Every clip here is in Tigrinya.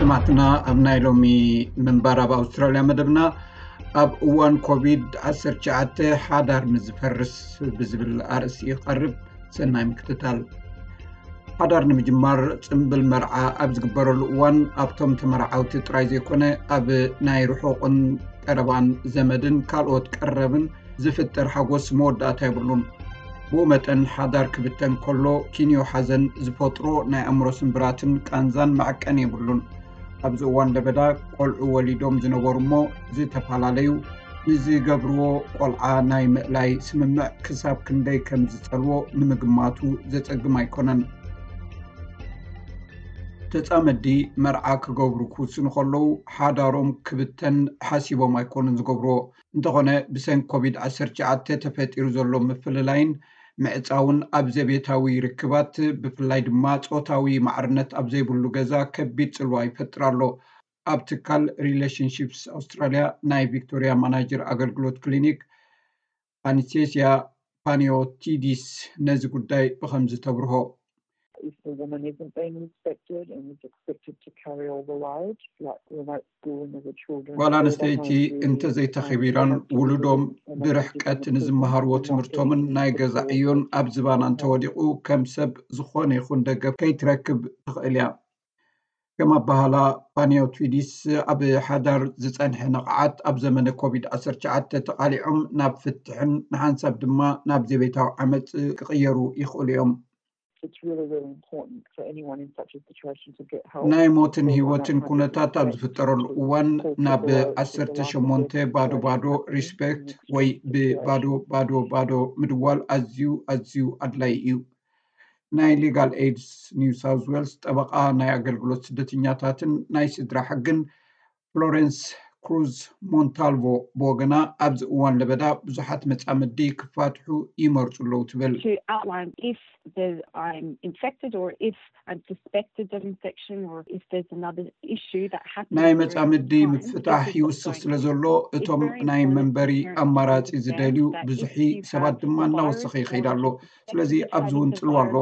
ሰማዕትና፣ ኣብ ናይ ሎሚ ምንባር ኣብ ኣውስትራልያ መደብና፣ ኣብ እዋን ኮቪድ ዓሰርተ ትሽዓተ ሓዳር ንዝፈርስ ብዝብል ኣርእስቲ ይቐርብ። ሰናይ ምክትታል። ሓዳር ንምጅማር ጽምብል መርዓ ኣብ ዝግበረሉ እዋን ኣብቶም ተመርዓውቲ ጥራይ ዘይኮነ ኣብ ናይ ርሑቕን ቀረባን ዘመድን ካልኦት ቀረብን ዝፍጠር ሓጎስ መወዳእታ የብሉን። ብኡ መጠን ሓዳር ክብተን ከሎ ኪንዮ ሓዘን ዝፈጥሮ ናይ ኣእምሮ ስምብራትን ቃንዛን መዐቀኒ የብሉን። ኣብዚ እዋን ለበዳ ቆልዑ ወሊዶም ዝነበሩ እሞ ዝተፈላለዩ ንዝገብርዎ ቆልዓ ናይ ምእላይ ስምምዕ ክሳብ ክንደይ ከም ዝጸልዎ ንምግማቱ ዘጸግም ኣይኮነን። ተጻመዲ መርዓ ክገብሩ ክውስኑ ከለዉ ሓዳሮም ክብተን ሓሲቦም ኣይኮኑን ዝገብርዎ። እንተኾነ ብሰንኪ ኮቪድ ዓሰርተ ትሽዓተ ተፈጢሩ ዘሎ ምፍልላይን ምዕጻውን ኣብ ዘቤታዊ ርክባት ብፍላይ ድማ ጾታዊ ማዕርነት ኣብ ዘይብሉ ገዛ ከቢድ ጽልዋ ይፈጥር ኣሎ። ኣብ ትካል ሪሌሽንሺፕስ ኣውስትራልያ ናይ ቪክቶሪያ ማናጀር ኣገልግሎት ክሊኒክ ኣኒስቴስያ ፓኒዮቲዲስ ነዚ ጉዳይ ብኸምዚ ተብርሆ። If the woman isn't being respected and is expected to carry all the load, like remote schooling of the children, ጓል ኣንስተይቲ እንተዘይተኸቢራን ውሉዶም ብርሕቀት ንዝመሃርዎ ትምህርቶምን ናይ ገዛ ዕዮን ኣብ ዝባና እንተወዲቑ ከም ሰብ ዝኾነ ይኹን ደገፍ ከይትረክብ ትኽእል እያ። ከም ኣባሃላ ፓኒዮቲዲስ ኣብ ሓዳር ዝጸንሐ ንቕዓት ኣብ ዘመነ ኮቪድ ዓሰርተ ትሽዓተ ተቓሊዖም ናብ ፍትሕን ንሓንሳብ ድማ ናብ ዘቤታዊ ዓመጽ ክቕየሩ ይኽእሉ እዮም። it's really, really important for anyone in such a situation to get help. ናይ ሞትን ህይወትን ኩነታት ኣብ ዝፍጠረሉ እዋን ናብ ዓሰርተ ሸሞንተ ባዶ ባዶ ሪስፔክት ወይ ብባዶ ባዶ ባዶ ምድዋል ኣዝዩ ኣዝዩ ኣድላይ እዩ። ናይ ሌጋል ኤድስ ኒው ሳውዝ ዌልስ ጠበቓ ናይ ኣገልግሎት ስደተኛታትን ናይ ስድራ ሕግን ፍሎረንስ ክሩዝ ሞንታልቮ ብወገና ኣብዚ እዋን ለበዳ ብዙሓት መጻምዲ ክፋትሑ ይመርጹ ኣለዉ ትብል። To outline if there's, I'm infected or if I'm suspected of infection or if there's another issue that happens. ናይ መጻምዲ ምፍታሕ ይውስኽ ስለ ዘሎ እቶም ናይ መንበሪ ኣማራጺ ዝደልዩ ብዙሒ ሰባት ድማ እናወሰኸ ይኸይድ ኣሎ። ስለዚ ኣብዚ እውን ጽልዋ ኣሎ።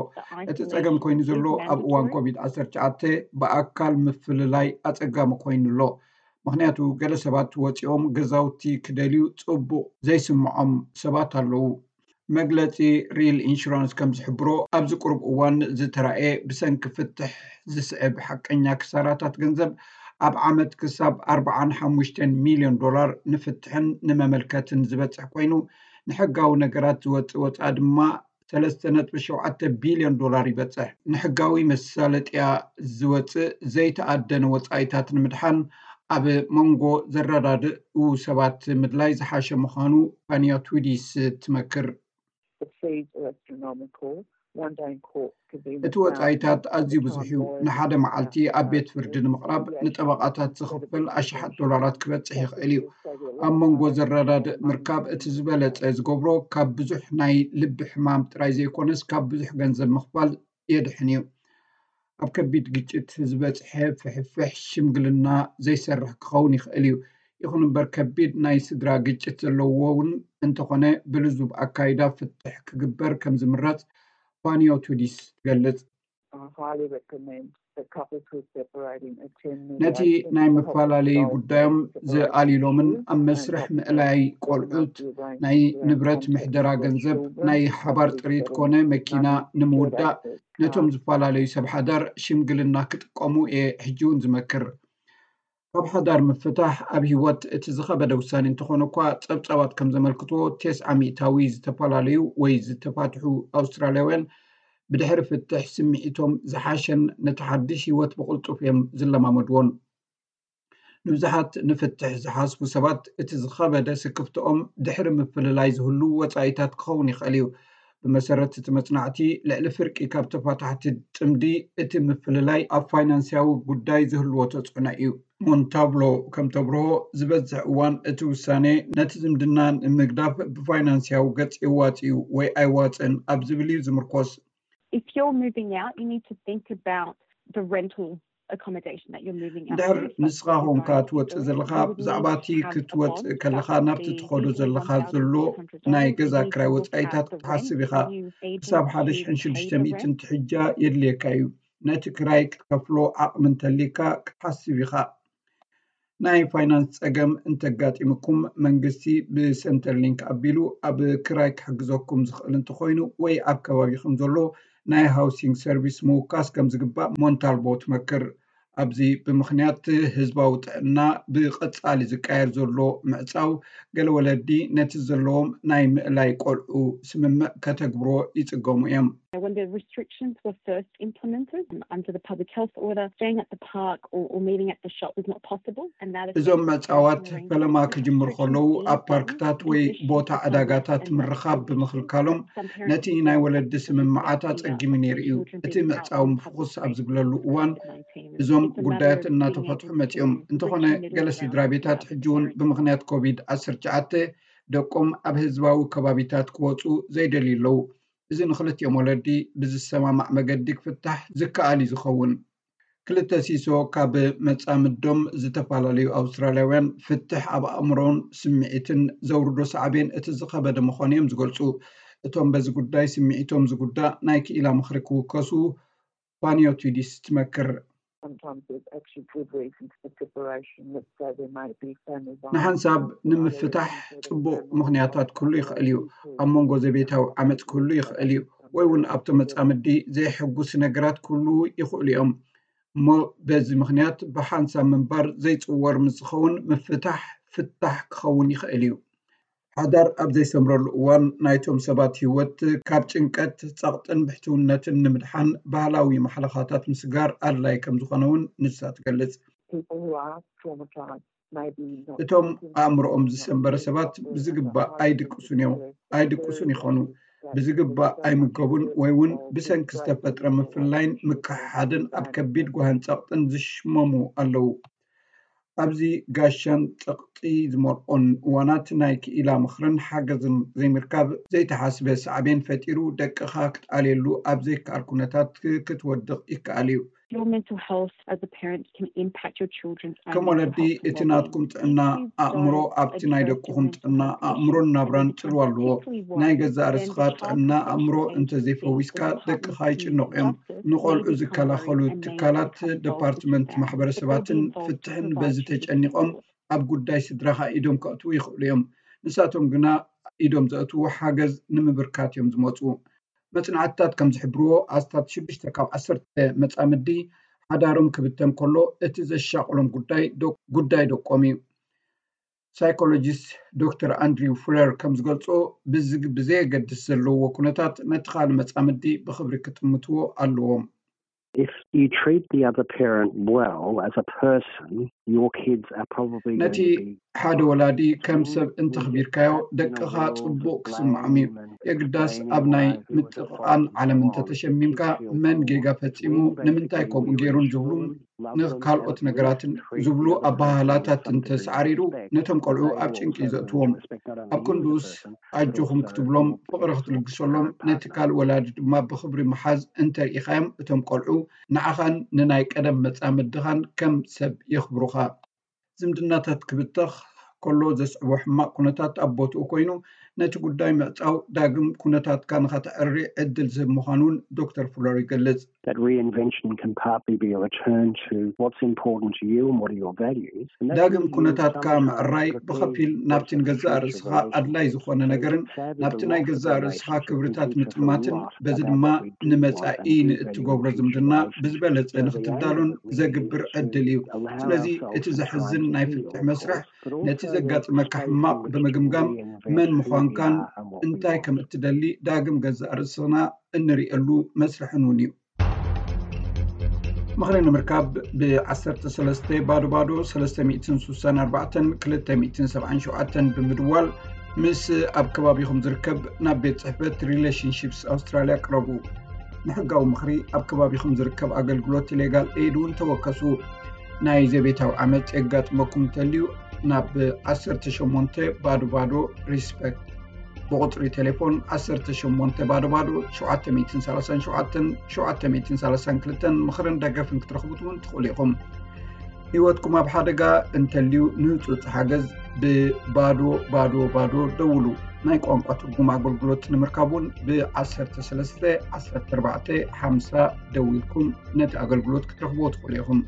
እቲ ጸገም ኮይኑ ዘሎ ኣብ እዋን ኮቪድ ዓሰርተ ትሽዓተ ብኣካል ምፍልላይ ኣጸጋሚ ኮይኑ ኣሎ። ምኽንያቱ ገለ ሰባት ወጺኦም ገዛውቲ ክደልዩ ጽቡቕ ዘይስምዖም ሰባት ኣለዉ። መግለጺ ሪል ኢንሹራንስ ከም ዝሕብሮ ኣብዚ ቁሩብ እዋን ዝተራእየ ብሰንኪ ፍትሕ ዝስዕብ ሓቀኛ ክሳራታት ገንዘብ ኣብ ዓመት ክሳብ ኣርባዓን ሓሙሽተን ሚልዮን ዶላር ንፍትሕን ንመመልከትን ዝበጽሕ ኮይኑ ንሕጋዊ ነገራት ዝወጽእ ወጻኢ ድማ ሰለስተ ነጥቢ ሸውዓተ ቢልዮን ዶላር ይበጽሕ። ንሕጋዊ መሳለጥያ ዝወጽእ ዘይተኣደነ ወጻኢታት ንምድሓን ኣብ መንጎ ዘረዳድኡ ሰባት ምድላይ ዝሓሸ ምዃኑ ፓኒዮቲዲስ ትመክር። The fees are astronomical. One day in court could be in the እቲ ወጻኢታት ኣዝዩ ብዙሕ እዩ። ንሓደ መዓልቲ ኣብ ቤት ፍርዲ ንምቕራብ ንጠበቓታት ዝኽፈል ኣሽሓት ዶላራት ክበጽሕ ይኽእል እዩ። ኣብ መንጎ ዘረዳድእ ምርካብ እቲ ዝበለጸ ዝገብሮ ካብ ብዙሕ ናይ ልቢ ሕማም ጥራይ ዘይኮነስ ካብ ብዙሕ ገንዘብ ምኽፋል የድሕን እዩ። ኣብ ከቢድ ግጭት ዝበጽሐ ፍሕፍሕ ሽምግልና ዘይሰርሕ ክኸውን ይኽእል እዩ። ይኹን እምበር ከቢድ ናይ ስድራ ግጭት ዘለዎ እውን እንተኾነ ብልዙብ ኣካይዳ ፍትሕ ክግበር ከም ዝምረጽ ፓኒዮቲዲስ ትገልጽ። I highly recommend that couples who are separating attend ነቲ ናይ መፈላለዪ ጉዳዮም ዝኣልይሎምን ኣብ መስርሕ ምእላይ ቆልዑት፣ ናይ ንብረት ምሕደራ ገንዘብ፣ ናይ ሓባር ጥሪት ኮነ መኪና ንምውዳእ ነቶም ዝፈላለዩ ሰብ ሓዳር ሽምግልና ክጥቀሙ እየ ሕጂ እውን ዝመክር። ካብ ሓዳር ምፍታሕ ኣብ ህይወት እቲ ዝኸበደ ውሳኔ እንተኾነ እኳ ጸብጻባት ከም ዘመልክትዎ ተስዓ ሚእታዊ ዝተፈላለዩ ወይ ዝተፋትሑ ኣውስትራልያውያን ብድሕሪ ፍትሕ ስምዒቶም ዝሓሸን ነቲ ሓድሽ ህይወት ብቕልጡፍ እዮም ዝለማመድዎን። ንብዙሓት ንፍትሕ ዝሓስቡ ሰባት እቲ ዝኸበደ ስክፍትኦም ድሕሪ ምፍልላይ ዝህሉ ወጻኢታት ክኸውን ይኽእል እዩ። ብመሰረት እቲ መጽናዕቲ ልዕሊ ፍርቂ ካብ ተፋታሕቲ ጥምዲ እቲ ምፍልላይ ኣብ ፋይናንስያዊ ጉዳይ ዝህልዎ ተጽዕኖ እዩ። ሞንታብሎ ከም ተብርሆ ዝበዝሕ እዋን እቲ ውሳኔ ነቲ ዝምድና ንምግዳፍ ብፋይናንስያዊ ገጽ የዋጽ እዩ ወይ ኣይዋጽእን ኣብ ዝብል እዩ ዝምርኮስ። If you're moving out, you need to think about the rental accommodation that you're moving out ድሕር to. ንስኻ ኾንካ ትወፅእ ዘለኻ ብዛዕባ እቲ ክትወፅእ ከለኻ ናብቲ ትኸዶ ዘለኻ ዘሎ ናይ ገዛ ክራይ ወፃኢታት ክትሓስብ ኢኻ። ክሳብ ሓደ ሽሕን ሽዱሽተ ሚእትን ትሕጃ የድልየካ እዩ። ነቲ ክራይ ክትከፍሎ ዓቕሚ እንተሊካ ክትሓስብ ኢኻ። ናይ ፋይናንስ ጸገም እንተጋጢምኩም መንግስቲ ብሰንተርሊንክ ኣቢሉ ኣብ ክራይ ክሕግዘኩም ዝኽእል እንተኾይኑ ወይ ኣብ ከባቢኹም ዘሎ ናይ ሃውሲንግ ሰርቪስ ምውካስ ከም ዝግባእ ሞንታልቦ ትመክር። ኣብዚ ብምኽንያት ህዝባዊ ጥዕና ብቐጻሊ ዝቃየር ዘሎ ምዕጻው ገለ ወለዲ ነቲ ዘለዎም ናይ ምእላይ ቆልዑ ስምምዕ ከተግብሮ ይጽገሙ እዮም። When the restrictions were first implemented under the public health order, staying at the park or, or meeting at the shop was not possible. And that እዞም ምዕጻዋት ፈለማ ክጅምር ከለዉ ኣብ ፓርክታት ወይ ቦታ ዕዳጋታት ምርኻብ ብምኽልካሎም ነቲ ናይ ወለዲ ስምምዓት ኣጸጊሙ ነይሩ እዩ። እቲ ምዕጻው ምፍኹስ ኣብ ዝብለሉ እዋን እዞም ጉዳያት እናተፈትሑ መጺኦም። እንተኾነ ገለ ስድራ ቤታት ሕጂ እውን ብምኽንያት ኮቪድ ዓሰርተ ትሽዓተ ደቆም ኣብ ህዝባዊ ከባቢታት ክወጹ ዘይደልዩ ኣለዉ። እዚ ንኽልቲኦም ወለዲ ብዝሰማማዕ መገዲ ክፍታሕ ዝከኣል እዩ ዝኸውን። ክልተ ሲሶ ካብ መጻምዶም ዝተፈላለዩ ኣውስትራልያውያን ፍትሕ ኣብ ኣእምሮን ስምዒትን ዘውርዶ ሳዕቤን እቲ ዝኸበደ ምዃኑ እዮም ዝገልጹ። እቶም በዚ ጉዳይ ስምዒቶም ዝጉዳእ ናይ ክኢላ ምኽሪ ክውከሱ ፋኒዮቲዲስ ትመክር። Sometimes there's actually good reasons for separation. Let's say there might be family violence. ንሓንሳብ ንምፍታሕ ጽቡቕ ምኽንያታት ክህሉ ይኽእል እዩ። ኣብ መንጎ ዘቤታዊ ዓመጽ ክህሉ ይኽእል እዩ፣ ወይ እውን ኣብቲ መጻምዲ ዘይሕጉስ ነገራት ክህሉ ይኽእሉ እዮም። እሞ በዚ ምኽንያት ብሓንሳብ ምንባር ዘይጽወር ምስ ዝኸውን ምፍታሕ ፍታሕ ክኸውን ይኽእል እዩ። ሓዳር ኣብ ዘይሰምረሉ እዋን ናይቶም ሰባት ህይወት ካብ ጭንቀት፣ ጸቕጥን ብሕትውነትን ንምድሓን ባህላዊ ማሕለኻታት ምስጋር ኣድላይ ከም ዝኾነ እውን ንሳ ትገልጽ። People who are traumatized maybe not እቶም ኣእምሮኦም ዝሰንበረ ሰባት ብዝግባእ ኣይድቅሱን እዮም፣ ኣይድቅሱን ይኾኑ። ብዝግባእ ኣይምገቡን ወይ እውን ብሰንኪ ዝተፈጥረ ምፍላይን ምክሕሓድን ኣብ ከቢድ ጓህን ጸቕጥን ዝሽመሙ ኣለዉ። ኣብዚ ጋሻን ጸቕጢ ዝመልኦን እዋናት ናይ ክኢላ ምኽርን ሓገዝን ዘይምርካብ ዘይተሓስበ ሳዕቤን ፈጢሩ ደቅኻ ክትኣልየሉ ኣብ ዘይከኣል ኩነታት ክትወድቕ ይከኣል እዩ። Your mental health as a parent can impact your children's ከም ወለዲ እቲ ናትኩም ጥዕና ኣእምሮ ኣብቲ ናይ ደቅኹም ጥዕና ኣእምሮን ናብራን ጽልዋ ኣለዎ። ናይ ገዛእ ርእስኻ ጥዕና ኣእምሮ እንተዘይፈዊስካ ደቅኻ ይጭነቑ እዮም። ንቆልዑ ዝከላኸሉ ትካላት፣ ደፓርትመንት ማሕበረሰባትን ፍትሕን በዚ ተጨኒቖም ኣብ ጉዳይ ስድራኻ ኢዶም ከእትዉ ይኽእሉ እዮም። ንሳቶም ግና ኢዶም ዘእትዉ ሓገዝ ንምብርካት እዮም ዝመፁ። መፅናዕትታት ከም ዝሕብርዎ ኣስታት ሽዱሽተ ካብ ዓሰርተ መፃምዲ ሓዳሮም ክብተን ከሎ እቲ ዘሻቕሎም ጉዳይ ጉዳይ ደቆም እዩ። ሳይኮሎጂስት ዶክተር ኣንድሪው ፍለር ከም ዝገልጾ ብዝግ ብዘየገድስ ዘለዎ ኩነታት ነቲ ካልእ መጻምዲ ብኽብሪ ክጥምትዎ ኣለዎም። If you treat the other parent well as a person, your kids are probably ነቲ ሓደ ወላዲ ከም ሰብ እንተኽቢርካዮ ደቅኻ ጽቡቕ ክስምዖም እዩ። የግዳስ ኣብ ናይ ምጥቕቓን ዓለም እንተተሸሚምካ መን ጌጋ ፈጺሙ ንምንታይ ከምኡ ገይሩን ዝብሉን ንካልኦት ነገራትን ዝብሉ ኣባህላታት እንተሰዓሪሩ ነቶም ቆልዑ ኣብ ጭንቂ እዩ ዘእትዎም። ኣብ ክንድኡስ ኣጆኹም ክትብሎም ፍቕሪ ክትልግሰሎም ነቲ ካልእ ወላዲ ድማ ብኽብሪ ምሓዝ እንተርኢኻዮም እቶም ቆልዑ ንዓኻን ንናይ ቀደም መጻምድኻን ከም ሰብ የኽብሩኻ። ዝምድናታት ክብተኽ ከሎ ዘስዕቦ ሕማቕ ኩነታት ኣብ ቦትኡ ኮይኑ ነቲ ጉዳይ ምዕጻው ዳግም ኩነታትካ ንኸተዕሪ ዕድል ዝህብ ምዃኑ እውን ዶክተር ፍሎር ይገልጽ። That reinvention can partly be a return to what's important to you and what are your values. ዳግም ኩነታትካ ምዕራይ ብኸፊል ናብቲ ንገዛእ ርእስኻ ኣድላይ ዝኾነ ነገርን ናብቲ ናይ ገዛእ ርእስኻ ክብርታት ምጥማትን በዚ ድማ ንመጻኢ ንእትገብሮ ዝምድና ብዝበለጸ ንክትዳሎን ዘግብር ዕድል እዩ። ስለዚ እቲ ዘሕዝን ናይ ፍትሕ መስርሕ ነቲ ዘጋጥመካ ሕማቕ ብምግምጋም መን ምዃንካን እንታይ ከም እትደሊ ዳግም ገዛእ ርእስና እንርእየሉ መስርሕን እውን እዩ። ምኽሪ ንምርካብ ብ ዓሰርተ ሰለስተ ባዶ ባዶ ሰለስተ ሚእትን ስሳን ኣርባዕተን ክልተ ሚእትን ሰብዓን ሸውዓተን ብምድዋል ምስ ኣብ ከባቢኹም ዝርከብ ናብ ቤት ጽሕፈት ሪሌሽንሺፕስ ኣውስትራልያ ቅረቡ። ንሕጋዊ ምኽሪ ኣብ ከባቢኹም ዝርከብ ኣገልግሎት ሌጋል ኤይድ እውን ተወከሱ። ናይ ዘቤታዊ ዓመጽ የጋጥመኩም እንተልዩ ናብ ዓሰርተ ሸሞንተ ባዶ ባዶ ሪስፐክት ብቁጽሪ ቴሌፎን ዓሰርተ ሸሞንተ ባዶ ባዶ ሸውዓተ ሚእትን ሰላሳን ሸውዓተን ሸውዓተ ሚእትን ሰላሳን ክልተን ምኽርን ደገፍን ክትረኽቡ እውን ትኽእሉ ኢኹም። ህይወትኩም ኣብ ሓደጋ እንተልዩ፣ ንህጹጽ ሓገዝ ብባዶ ባዶ ባዶ ደውሉ። ናይ ቋንቋ ትርጉም ኣገልግሎት ንምርካብ እውን ብ13 14 50 ደዊልኩም ነቲ ኣገልግሎት ክትረኽብዎ ትኽእሉ ኢኹም።